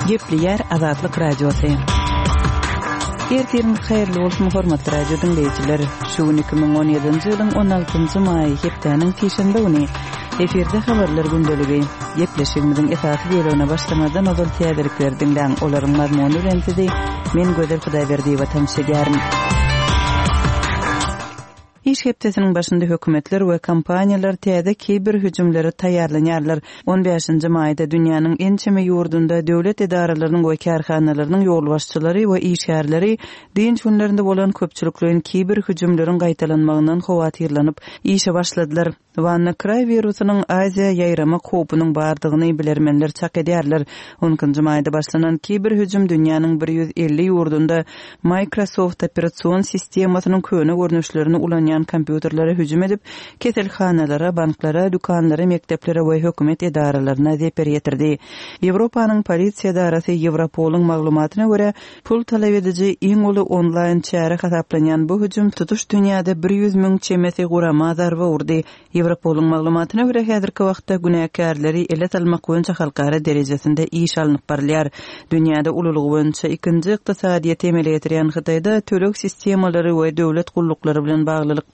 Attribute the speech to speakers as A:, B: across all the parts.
A: Gepleýär Azatlyk Radiosy. Ertiriňiz haýyrly bolsun, hormatly radio diňleýjiler. Şu gün 2017-nji ýylyň 16-njy maýy, hepdäniň sişenbe güni. Efirde habarlar gündeligi. Gepleşigimiziň esasy bölegine başlamazdan ozal täzelikleri diňläň. Olaryň mazmuny bilen sizi men Gözel Hudaýberdiýewa tanyş edýärin. Iş hepdesiniň başynda hökümetler we kompaniýalar täze kiber hüjümlere taýýarlanýarlar. On bäşinji maýda dünýäniň ençeme ýurdunda döwlet edaralarynyň we kärhanalarynyň ýolbaşçylary we işgärleri dynç günlerinde bolan köpçülikleýin kiber hüjümleriň gaýtalanmagyndan howatyrlanyp işe başladylar. WannaCry wirusynyň Aziýa ýaýramak howpunyň bardygyny bilermenler çak edýärler. On ikinji maýda başlanan kiber hüjüm dünýäniň 150 ýurdunda Microsoft operasion sistemasynyň köne görnüşlerini ulanýan kompýuterlere hüjüm edip, keselhanalara, banklara, dükanlara, mekdeplere we hökümet edaralaryna zeper ýetirdi. Ýewropanyň polisiýa edarasy Ýewropolyň maglumatyna görä, Pul talap ediji iň uly onlaýn çäre hasaplanýan bu hüjüm tutuş dünýäde 100 müň çemesi gurama zarba urdy. Ýewropolyň maglumatyna görä, häzirki wagtda günäkärleri ele salmak boýunça halkara derejesinde iş alnyp barylýar. Dünýäde ululygy boýunça ikinji ykdysadyýeti emele getirýän Hytaýda töleg sistemalary we döwlet gulluklary bilen baglylykda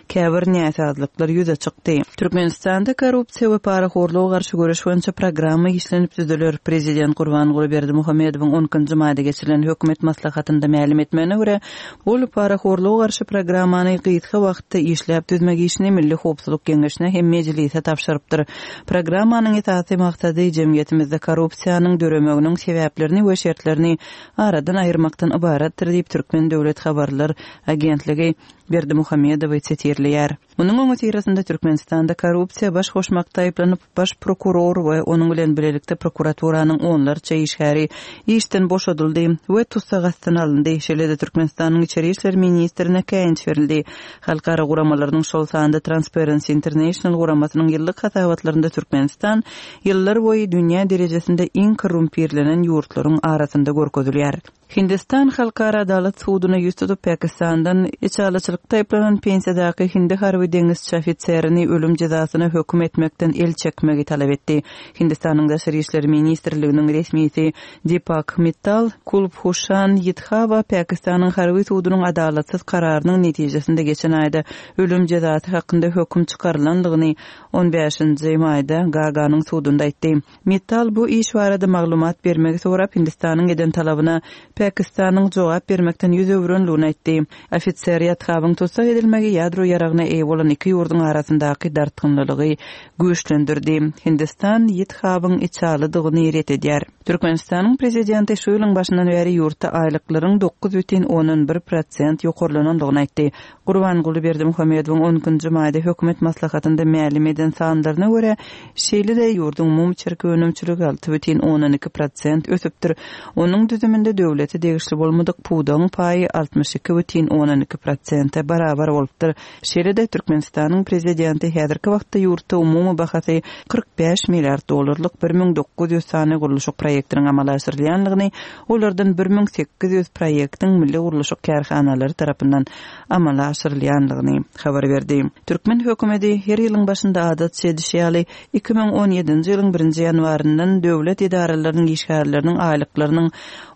A: käbir näsazlyklar ýüze çykdy. Türkmenistanda korrupsiýa we parahorluga garşy göreş boýunça programma işlenip düzüler. Prezident Gurbanguly Berdimuhamedowyň on ikinji maýda geçirilen hökümet maslahatynda mälim etmegine görä, ol parahorluga garşy programmany gysga wagtda işläp düzmek işini Milli howpsuzlyk geňeşine hem Mejlise tabşyrypdyr. Programmanyň esasy maksady jemgyýetimizde korrupsiýanyň döremeginiň sebäplerini we şertlerini aradan aýyrmakdan ybaratdyr diýip, Türkmen döwlet habarlar agentligi Berdimuhamedowy sitirleýär. Munuň öňüsyrasynda Türkmenistanda korrupsiýa baş goşmakda aýyplanyp, baş prokuror we onuň bilen bilelikde prokuraturanyň onlarça işgäri işden boşadyldy we tussag astyna alyndy. Şeýle-de Türkmenistanyň içeri işler ministrine käýinç berildi. Halkara guramalarynyň, şol sanda Transparency International guramasynyň ýyllyk hasabatlarynda Türkmenistan ýyllarboýy dünýä derejesinde iň korrumpirlenen ýurtlaryň arasynda görkezilýär. Hindistan Halkara adalat suduna ýüz tutup, Pakistandan içalyçylykda aýyplanan pensiýadaky hindi harby deňizçi ofiserini ölüm jezasyna höküm etmekden el çekmegi talap etdi. Hindistanyň Daşary işler ministrliginiň resmisi Dipak Mittal Kulbhuşan Ýadhawa Pakistanyň harby sudunyň adalatsyz kararynyň netijesinde geçen aýda ölüm jezasy hakynda höküm çykarylandygyny on bäşinji maýda Gaganyň sudunda aýtdy. Mittal bu iş barada maglumat bermegi sorap Hindistanyň eden talabyna Pakistanyň jogap bermekden ýüz öwürenligini aýtdy. Ofiser Ýadhawyň tussag edilmegi ýadro ýaragyna eýe bolan iki ýurduň arasyndaky dartgynlylygy güýçlendirdi. Hindistan Ýadhawyň içalydygyny ret edýär. Türkmenistanyň prezidenti şu ýylyň başyndan bäri ýurtda aýlyklaryň 9,1 prosent ýokarlanandygyny aýtdy. Gurbanguly Berdimuhamedowyň on ikinji maýda hökümet maslahatynda mälim eden sanlaryna görä, şeýle-de ýurduň umumy içerki önümçiligi 6,2 prosent ösüpdir. Onuň düzüminde döwlete degişli bolmadyk pudagyň paýy 62,2 prosente barabar bolupdyr. Şeýle-de Türkmenistanyň prezidenti häzirki wagtda ýurtda umumy bahasy 45 milliard dollarlyk 1900 sany gurluşyk proýektiniň amala aşyrylýandygyny, Olardan 1800 proýektiň milli gurluşyk kärhanalary tarapyndan amala aşyrylýandygyny habar berdi. Türkmen hökümeti her ýylyň başynda adatça edişi ýaly, 2017-nji ýylyň birinji ýanwaryndan döwlet edaralarynyň işgärleriniň aýlyklarynyň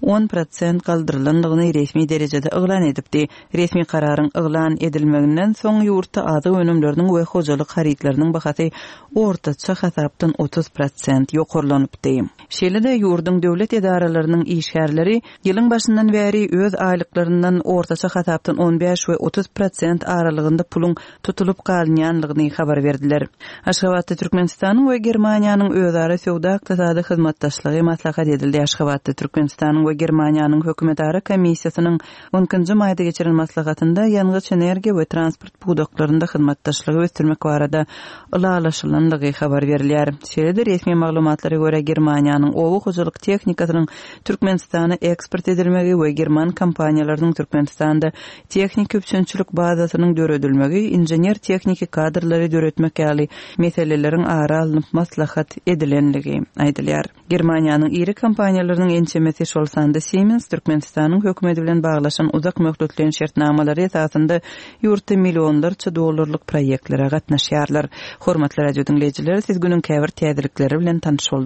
A: on prosent galdyrylandygyny resmi derejede yglan edipdi. Resmi kararyň yglan edilmeginden soň ýurtda azyk önümleriniň we hojalyk harytlarynyň bahasy ortaça hasapdan 30 prosent ýokarlanypdy. Şeýle-de, ýurduň döwlet edaralarynyň işgärleri ýylyň başyndan bäri öz aýlyklaryndan ortaça hasapdan on bäş we 30 prosent aralygynda puluň tutulyp galynýanlygyny habar berdiler. Aşgabatda Türkmenistanyň we Germaniýanyň özara söwda-ykdysady hyzmatdaşlygy maslahat edildi Aşgabatda Türkmenistanyň we Germaniýanyň Hökümetara komissiýasynyň On ikinji maýda geçiren maslahatynda ýangyç-energiýa we transport pudaklarynda hyzmatdaşlygy ösdürmek barada ylalaşylandygy habar berilýär. Şeýle-de resmi maglumatlara görä, Germaniýanyň oba hojalyk tehnikasynyň Türkmenistana eksport edilmegi we german kompaniýalarynyň Türkmenistanda tehniki üpjünçilik bazasynyň döredilmegi, inžener-tehniki kadrlary döretmek ýaly meseleleriň ara alnyp maslahat edilenligi aýdylýar. Germaniýanyň iri kompaniýalarynyň ençemesi, şol sanda Siemens Türkmenistanyň hökümeti bilen baglaşan uzak möhletleýin şertnamalary esasynda ýurtda millionlarça dollarlyk proýektlere gatnaşýarlar. Hormatly radio diňleýjiler, siz günüň käbir täzelikleri bilen tanyş bolduňyz.